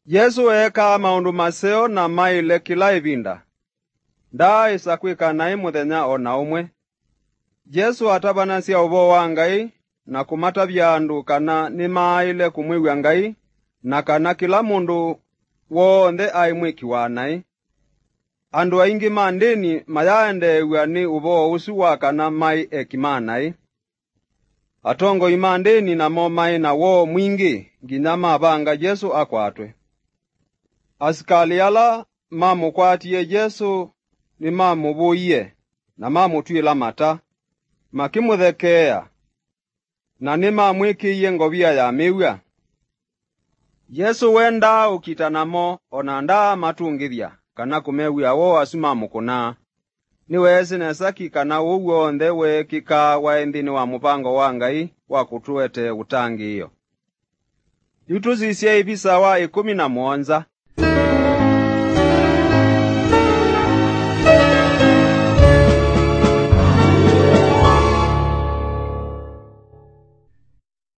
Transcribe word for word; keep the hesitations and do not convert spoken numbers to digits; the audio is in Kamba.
Yesũ eekaa maũndũ maseo na maĩle kĩla ĩvinda. Ndaaĩsa kwĩka naĩ mũthenya o na ũmwe. Yesũ atavanasya ũvoo wa Ngai na kũmatavya andũ kana nĩmaaĩle kũmwĩw'a Ngai, na kana kĩla mũndũ w'onthe aĩ mwĩki wa naĩ. Andũ aingĩ ma ndĩni mayaaendeew'a nĩ ũvoo ũsu wa kana maĩ eki ma naĩ. Atongoi ma ndĩni namo maĩ na woo mwingĩ nginya mavanga Yesũ akwatwe. Asikalĩ ala mamũkwatie Yesũ nĩmamũvũie na mamũtw'ĩla mata, makĩmũthekeea, na nĩmamwĩkĩie ngovia ya mĩw'a. Yesũ wendaa ũkita namo, o na ndaamatũngĩthya kana kũmew'ĩa woo asu mamũkũnaa. Nĩweesĩ nesa ki kana ũu w'onthe weekĩkaa waĩ nthĩnĩ wa mũvango wa Ngai wa kũtũetee ũtangĩĩo. Yu tũsisye ĩvisa wa ĩkũmi na mũonza.